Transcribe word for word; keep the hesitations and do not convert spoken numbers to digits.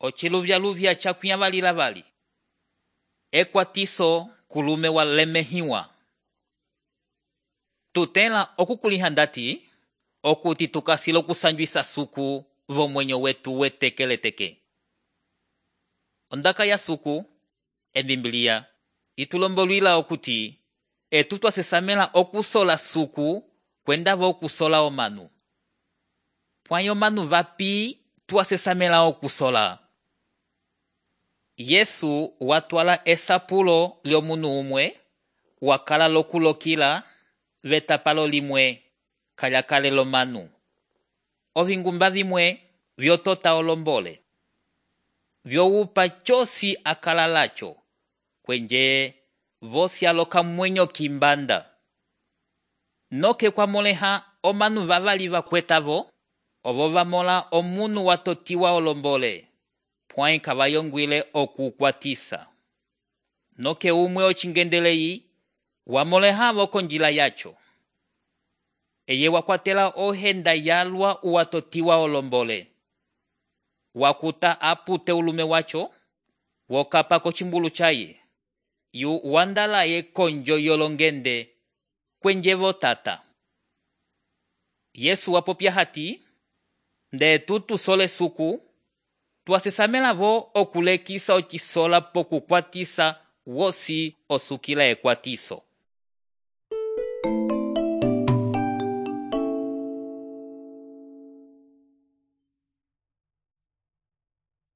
ociluvyaluvya cakwĩavalila vali. Ekwatiso kulume walemehiwa. Tutela okukuliha ndati, okuti tukasila okusanjwisa suku vomwenyo wetu wetekeleteke. Ondaka ya suku, ebimbilia, itulombolwila okuti, etu twasesamela okusola suku kwenda vo okusola omanu. Pwayo manu vapi twasesamela okusola. Yesu watwala esapulo lyomunu umwe, wakala lokulokila vetapalo limwe kalyakalelo manu. Ovingumba vimwe vyotota olombole. Vyoupa chosi akala lacho, kwenje vosi aloka mwenyo kimbanda. Noke kwa moleha omanu vavali vakwetavo, ovo vamola omunu watotiwa olombole, pwai kavayongwile okukwatisa. Noke umwe ochingendeleyi, wamolehavo konjila yacho. Eye wakwatela ohenda yalwa uwatotiwa olombole. Wakuta apute ulume wacho, wokapa kochimbulu chaye, yu wandala ye konjo yolongende, kwenjevo tata. Yesu wapopya hati, nde tutu sole suku, twasesamela vo okulekisa ochisola pokukwatisa wosi osukila ekwatiso.